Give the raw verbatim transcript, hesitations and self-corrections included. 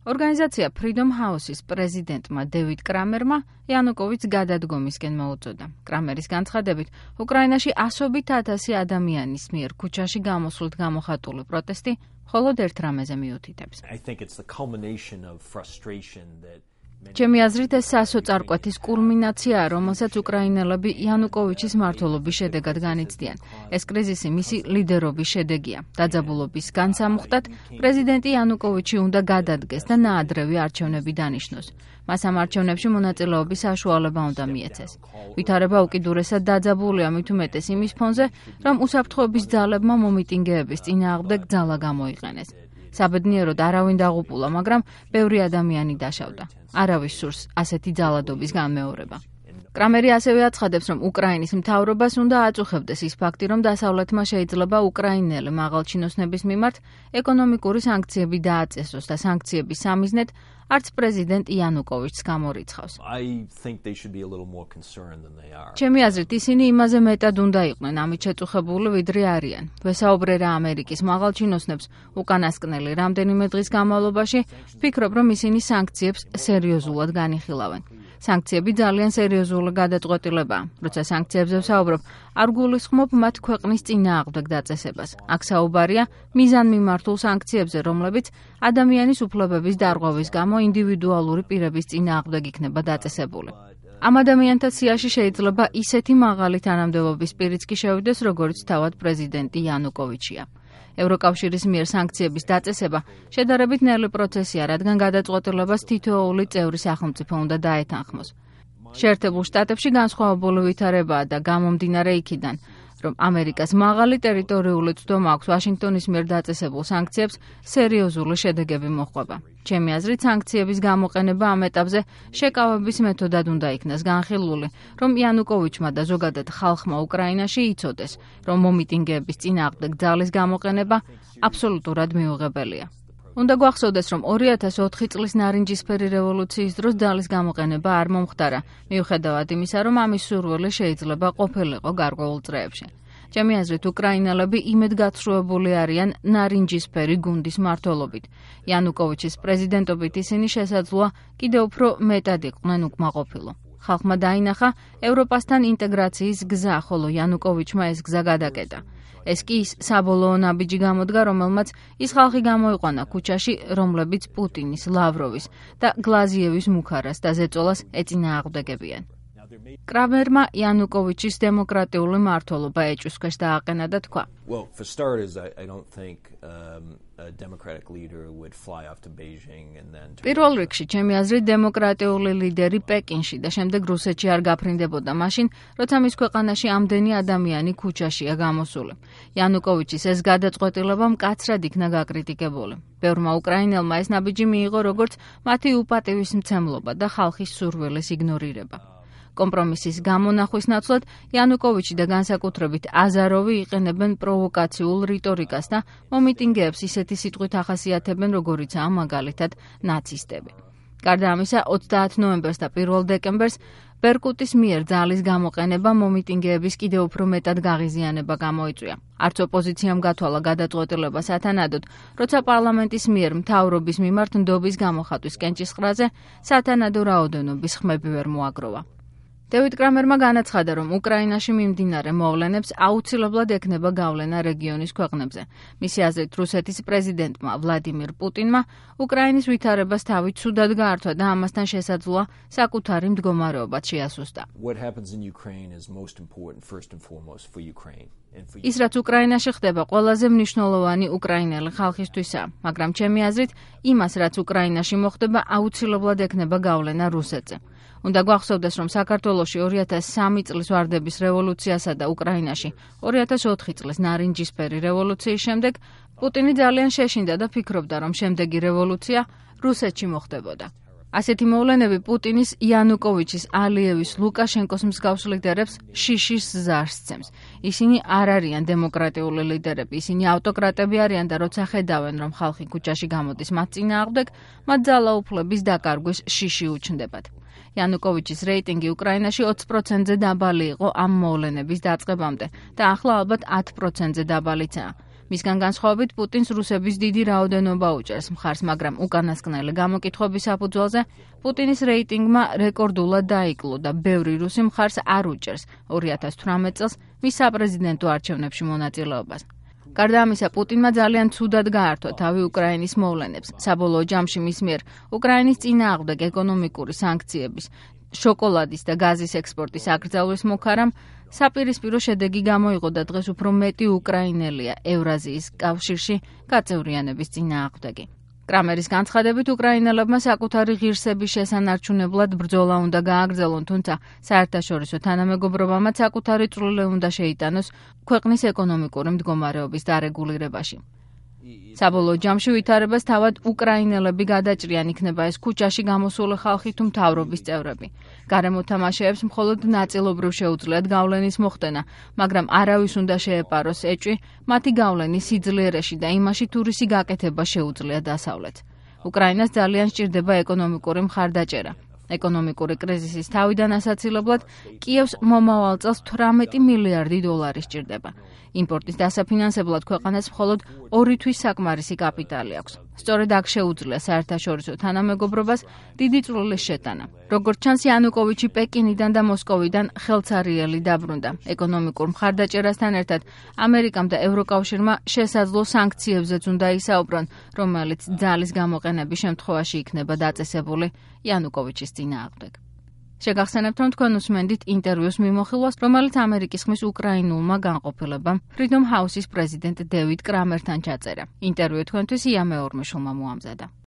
ორგანიზაცია Freedom House-ის პრეზიდენტმა დევიდ კრამერმა იანუკოვიჩს გადადგომისკენ მოუწოდა. კრამერის განცხადებით, უკრაინაში ასობით ათასი ადამიანის მიერ ქუჩაში გამოსვლით გამოხატული პროტესტი მხოლოდ ერთ რამეზე მიუთითებს. ჩემი აზრით ეს სასოწარკვეთის კულმინაციაა, რომელსაც უკრაინელები იანუკოვიჩის მმართველობის შედეგად განიცდიან. ეს კრიზისი მისი ლიდერობის შედეგია. დაძაბულობის განსამუხტად პრეზიდენტი იანუკოვიჩი უნდა გადადგეს და ნაადრევი არჩევნები დანიშნოს. მას ამ არჩევნებში მონაწილეობის საშუალება უნდა მიეცეს. ვითარება უკიდურესად დაძაბულია მით უმეტეს იმის ფონზე, რომ უსაფრთხოების ძალებმა მომიტინგეების წინააღმდეგ ძალა გამოიყენეს. საბედნიეროდ არავინ დაღუპულა, მაგრამ ბევრი ადამიანი დაშავდა. არავის სურს ასეთი ძალადობის განმეორება. კრამერი ასევე აცხადებს, რომ უკრაინის მთავრობას უნდა აწუხებდეს ის ფაქტი, რომ დასავლეთმა შეიძლება უკრაინელი მაღალჩინოსნების მიმართ ეკონომიკური სანქციები დააწესოს და სანქციების სამიზნედ არც პრეზიდენტ იანუკოვიჩს გამორიცხავს. ჩემი აზრით, ისინი იმაზე მეტად უნდა იყვნენ ამით შეწუხებული, ვიდრე არიან. ვესაუბრე რა ამერიკის მაღალჩინოსნებს უკანასკნელი რამდენიმე დღის განმავლობაში, ვფიქრობ, რომ ისინი სანქციებს სერიოზულად განიხილავენ. სანქციები ძალიან სერიოზული გადაწყვეტილებაა. როცა სანქციებზე ვსაუბრობ, არ გულისხმობ მათ ქვეყნის წინააღმდეგ დაწესებას. აქ საუბარია მიზანმიმართულ სანქციებზე, რომლებიც ადამიანის უფლებების დარღვევის გამო ინდივიდუალური პირების წინააღმდეგ იქნება დაწესებული. ამ ადამიანთა სიაში შეიძლება ისეთი მაღალი თანამდებობის პირიც კი შევიდეს, როგორც თავად პრეზიდენტი იანუკოვიჩია. ევროკავშირის მიერ სანქციების დაწესება შედარებით ნელი პროცესია, რადგან გადაწყვეტილებას თითოეული წევრი სახელმწიფო უნდა დაეთანხმოს. შეერთებულ შტატებში განსხვავებული ვითარებაა და გამომდინარე იქიდან, რომ ამერიკას მაღალი ტერიტორიული ცდომა აქვს ვაშინგტონის მიერ დაწესებულ სანქციებს სერიოზული შედეგები მოჰყვება. ჩემი აზრით, სანქციების გამოყენება ამ ეტაპზე შეკავების მეთოდად უნდა იქნას განხილული, რომ იანუკოვიჩმა და ზოგადად ხალხმა უკრაინაში იცოდეს, რომ მომიტინგეების წინააღმდეგ ძალის გამოყენება აბსოლუტურად მიუღებელია. უნდა გვახსოვდეს, რომ ორი ათას ოთხი წლის ნარინჯისფერი რევოლუციის დროს ძალის გამოყენება არ მომხდარა, მიუხედავად იმისა, რომ ამის სურვილი შეიძლება ყოფილიყო გარკვეულ წრეებში. ჩემი აზრით, უკრაინელები იმედგაცრუებული არიან ნარინჯისფერი გუნდის მმართველობით. იანუკოვიჩის პრეზიდენტობით ისინი შესაძლოა კიდევ უფრო მეტად იყვნენ უკმაყოფილო. ხალხმა დაინახა ევროპასთან ინტეგრაციის გზა, ხოლო იანუკოვიჩმა ეს გზა გადაკეტა. ეს კი ის საბოლოო ნაბიჯი გამოდგა, რომელმაც ის ხალხი გამოიყვანა ქუჩაში, რომლებიც პუტინის, ლავროვის და გლაზიევის მუქარას და ზეწოლას ეწინააღმდეგებიან. კრამერმა იანუკოვიჩის დემოკრატიული მმართველობა ეჭვის ქვეშ დააყენა და თქვა: პირველ რიგში, ჩემი აზრით, დემოკრატიული ლიდერი პეკინში და შემდეგ რუსეთში არ გაფრინდებოდა მაშინ, როცა მის ქვეყანაში ამდენი ადამიანი ქუჩაშია გამოსული. იანუკოვიჩის ეს გადაწყვეტილება მკაცრად იქნა გაკრიტიკებული. ბევრმა უკრაინელმა ეს ნაბიჯი მიიღო როგორც მათი უპატივისმცემლობა და ხალხის სურვილის იგნორირება. კომპრომისის გამონახვის ნაცვლად იანუკოვიჩი და განსაკუთრებით აზაროვი იყენებენ პროვოკაციულ რიტორიკას და მომიტინგეებს ისეთი სიტყვით ახასიათებენ, როგორიცაა მაგალითად ნაცისტები. გარდა ამისა, ოცდაათ ნოემბერს და პირველ დეკემბერს ბერკუტის მიერ ძალის გამოყენება მომიტინგეების კიდევ უფრო მეტად გაღიზიანება გამოიწვია. არც ოპოზიციამ გათვალა გადაწყვეტილება სათანადოდ, როცა პარლამენტის მიერ მთავრობის მიმართ ნდობის გამოხატვის კენჭისყრაზე სათანადო რაოდენობის ხმები ვერ მოაგროვა. დევიდ კრამერმა განაცხადა, რომ უკრაინაში მიმდინარე მოვლენებს აუცილებლად ექნება გავლენა რეგიონის ქვეყნებზე. მისი აზრით, რუსეთის პრეზიდენტმა ვლადიმირ პუტინმა უკრაინის ვითარებას თავი ცუდად გაართვა და ამასთან შესაძლოა საკუთარი მდგომარეობაც შეასუსტა. ის, რაც უკრაინაში ხდება, ყველაზე მნიშვნელოვანი უკრაინელი ხალხისთვისაა, მაგრამ ჩემი აზრით, იმას, რაც უკრაინაში მოხდება, აუცილებლად ექნება გავლენა რუსეთზე. უნდა გვახსოვდეს, რომ საქართველოში ორი ათას სამი წლის ვარდების რევოლუციასა და უკრაინაში ორი ათას ოთხი წლის ნარინჯისფერი რევოლუციის შემდეგ პუტინი ძალიან შეშინდა და ფიქრობდა, რომ შემდეგი რევოლუცია რუსეთში მოხდებოდა. ასეთი მოვლენები პუტინის, იანუკოვიჩის, ალიევის, ლუკაშენკოს მსგავს ლიდერებს შიშის ზარს სცემს. ისინი არ არიან დემოკრატიული ლიდერები, ისინი ავტოკრატები არიან და როცა ხედავენ, რომ ხალხი ქუჩაში გამოდის მათ წინააღმდეგ, მათ ძალაუფლების დაკარგვის შიში უჩნდებათ. იანუკოვიჩის რეიტინგი უკრაინაში ოცი პროცენტზე დაბალი იყო ამ მოვლენების დაწყებამდე და ახლა ალბათ ათი პროცენტზე დაბალიცაა. მისგან განსხვავებით პუტინს რუსების დიდი რაოდენობა უჭერს მხარს, მაგრამ უკანასკნელი გამოკითხვების საფუძველზე პუტინის რეიტინგმა რეკორდულად დაიკლო და ბევრი რუსი მხარს არ უჭერს ორი ათას თვრამეტ წელს მის საპრეზიდენტო არჩევნებში მონაწილეობას. გარდა ამისა, პუტინმა ძალიან ცუდად გაართვა თავი უკრაინის მოვლენებს. საბოლოო ჯამში მის მიერ უკრაინის წინააღმდეგ ეკონომიკური სანქციების, შოკოლადის და გაზის ექსპორტის აკრძალვის მოქარამ საპირისპირო შედეგი გამოიღო და დღეს უფრო მეტი უკრაინელია ევრაზიის კავშირში გაწევრიანების წინააღმდეგი. კრამერის განცხადებით, უკრაინელებმა საკუთარი ღირსების შესანარჩუნებლად ბრძოლა უნდა გააგრძელონ, თუმცა საერთაშორისო თანამეგობრობამაც საკუთარი წვლილი უნდა შეიტანოს ქვეყნის ეკონომიკური მდგომარეობის დარეგულირებაში. საბოლოო ჯამში ვითარებას თავად უკრაინელები გადაჭრიან, იქნება ეს ქუჩაში გამოსული ხალხი თუ მთავრობის წევრები. გარემო თამაშეებს მხოლოდ ნაწილობრივ შეუძლიათ გავლენის მოხდენა, მაგრამ არავის უნდა შეეპაროს ეჭვი მათი გავლენის სიძლიერეში და იმაში, თუ რისი გაკეთება შეუძლია დასავლეთს. უკრაინას ძალიან სჭირდება ეკონომიკური მხარდაჭერა. ეკონომიკური კრიზისის თავიდან ასაცილებლად კიევს მომავალ წელს თვრამეტი მილიარდი დოლარი სჭირდება. იმპორტის დასაფინანსებლად ქვეყანას მხოლოდ ორი თვის საკმარისი კაპიტალი აქვს. სწორედ აქ შეუძლია საერთაშორისო თანამეგობრობას დიდი წვლილის შეტანა. როგორც ჩანს, იანუკოვიჩი პეკინიდან და მოსკოვიდან ხელცარიელი დაბრუნდა. ეკონომიკურ მხარდაჭერასთან ერთად ამერიკამ და ევროკავშირმა შესაძლო სანქციებზეც უნდა ისაუბრონ, რომელიც ძალის გამოყენების შემთხვევაში იქნება დაწესებული იანუკოვიჩის წინააღმდეგ. შეგახსენებთ, რომ თქვენ უსმენდით ინტერვიუს მიმოხილვას, რომელიც ამერიკის ხმის უკრაინულმა განყოფილებამ Freedom House-ის პრეზიდენტ დევიდ კრამერთან ჩაწერა. ინტერვიუ თქვენთვის ია მეორმიშულმა მოამზადა.